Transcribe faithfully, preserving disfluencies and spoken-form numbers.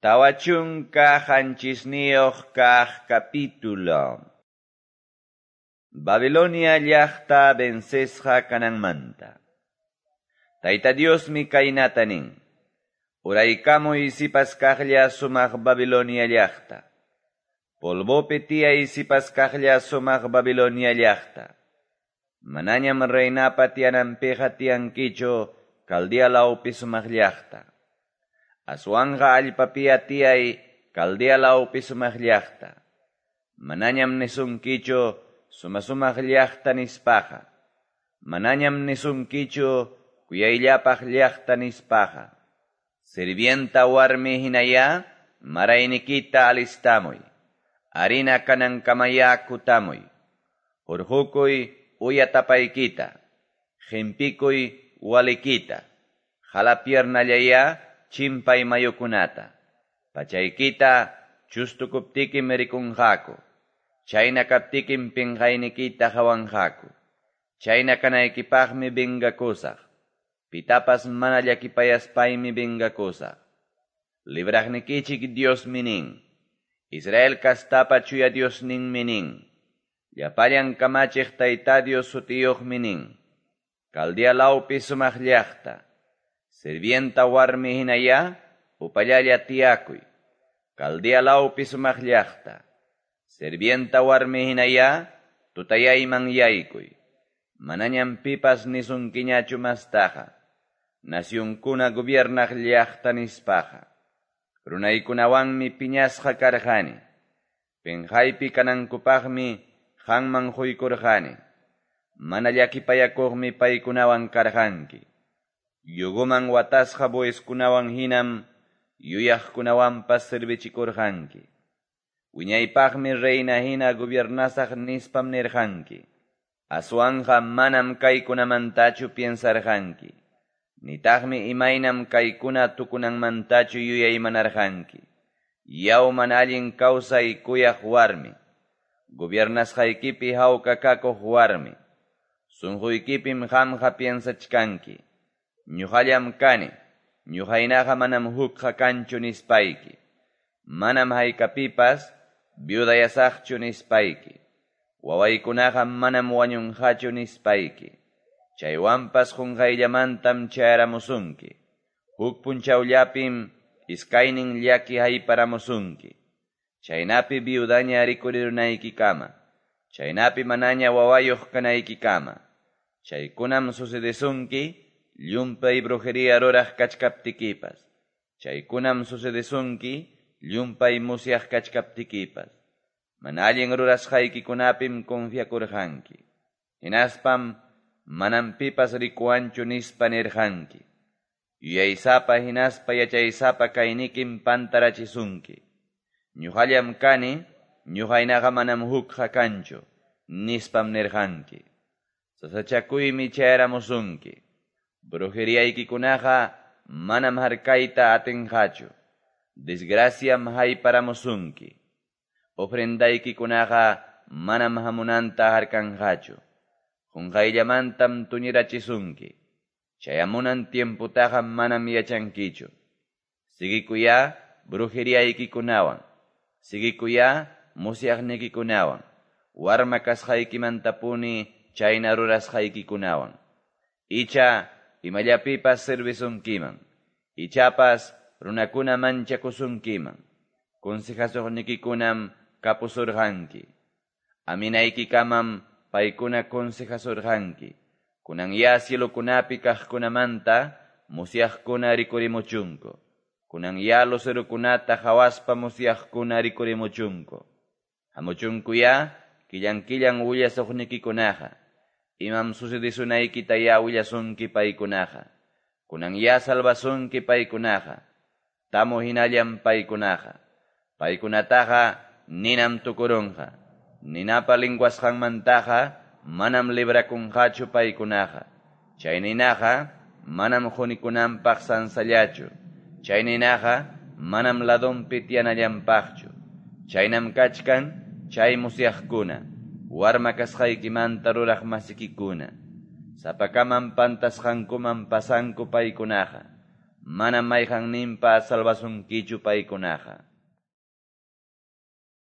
Tawa chunka qanchisniyuq kaq capítulo. Babilonia llaqta vencesqa kananmanta. Tayta Diosmi kaynata nin. Uraykamuy sipas kaqlla sumaq Babilonia llaqta. Polvopi tiyay sipas kaqlla sumaq Babilonia llaqta. Manañam reinapa tiyananpiqa tiyankichu Caldea lawpi sumaq llaqta. Aswanqa allpapia tiyay Caldea lawpi sumaq llaqta. Manañam nisunkichu suma-sumaq llaqta nispaqa. Manañam nisunkichu kuyayllapaq llaqta nispaqa. Sirvienta warmi hinaya maraynikita alistamuy. Harina kanankamaya kutamuy. Hurqukuy uya tapaykita. Qimpikuy walikita. Jalapiernallaya chimpay mayukunata. Pachaykita chustukuptikim rikunqaku. Chayna kaptikim pinqaynikita hawanqaku. Chayna kanaykipaqmi vengakusaq. Pitapas mana llakipayaspaymi vengakusaq. Libraqnikichik Diosmi nin. Israel kastapa chuya Diosninmi nin. Llapallan kamachiq Tayta Dios sutiyuqmi nin. Caldea lawpi sumaq llaqta. Sirvienta warmi hinaya, upallalla tiyakuy. Caldea lawpi sumaq llaqta. Sirvienta warmi hinaya, tutayayman yaykuy. Manañam pipas nisunkiñachu mastaqa. Nacionkuna gobiernaq llaqta nispaqa. Runaykunawanmi piñasqa karqani. Pinqaypi kanankupaqmi qanman quykurqani. Mana llakipayakuqmi paykunawan karqanki. Yuguman watasqa bueskunawan hinam yuyaqkunawanpas servichikurqanki. Wiñaypaqmi reina hina gobiernasaq nispam nirqanki. Aswanqa manam kaykunamantachu piensarqanki. Nitaqmi imaynam kaykuna tukunanmantachu yuyaymanarqanki. Yaw mana allin kawsay kuyaq warmi. Gobiernasqaykipi hawka kakuq warmi. Sunquykipim qamqa piensachkanki. Ñuqallam kani, ñuqaynaqa manam hukqa kanchu nispayki. Manam haykapipas viudayasaqchu nispayki. Wawaykunaqa manam wañunqachu nispayki. Chaywanpas qunqayllamantam chayaramusunki. Huk punchawllapim iskaynin llaki hayparamusunki. Chaynapi viudaña rikurirunaykikama. Chaynapi manaña wawayuq kanaykikama. Chaykunam sucedesunki llumpay brujería ruraq kachkaptikipas. Chaykunam sucedesunki llumpay musyaq kachkaptikipas. Mana allin rurasqaykikunapim confiakurqanki. Hinaspam manam pipas rikuwanchu nispa nirqanki. Yuyaysapa hinaspa yachaysapa kaynikim pantarachisunki. Ñuqallam kani, ñuqaynaqa manam hukqa kanchu, nispam nirqanki. Sasachakuymi chayaramusunki. Brujeriaykikunaqa manam harkayta atinqachu. Desgraciam hayparamusunki. Ofrendaykikunaqa manam hamunanta harkanqachu. Qunqayllamantam tuñirachisunki. Chayamunan tiemputaqa manam yachankichu. Sigikuya brujeriaykikunawan. Sigikuya musyaqnikikunawan. Warma kasqaykimantapuni chayna rurasqaykikunawan. Icha imallapipas servisunkiman. Ichapas runakuna manchakusunkiman. Consejasuqnikikunam kapusurqanki. Aminaykikamam paykuna consejasurqanki. Kunan ya cielokunapi kaqkunamanta musyaqkuna rikurimuchunku. Kunan ya lucerukunata hawaspa musyaqkuna rikurimuchunku. Hamuchunku ya killan killan willasuqnikikunaqa. Imam sucedesunaykita ya willasunki paykunaqa. Kunan ya salvasunki paykunaqa. Tamu hinallam paykunaqa. Paykunataqa ninam tukurunqa. Ninapa linguasqanmantaqa manam librakunqachu paykunaqa. Chay ninaqa manam qunikunanpaq sansallachu. Chay ninaqa manam ladunpi tiyanallanpaqchu. Chaynam kachkan chay musyaqkuna. Warma kasqaykimanta ruraq masikikuna. Sapakamam pantasqankuman pasanku paykunaqa. Manam mayqanninpas salvasunkichu paykunaqa.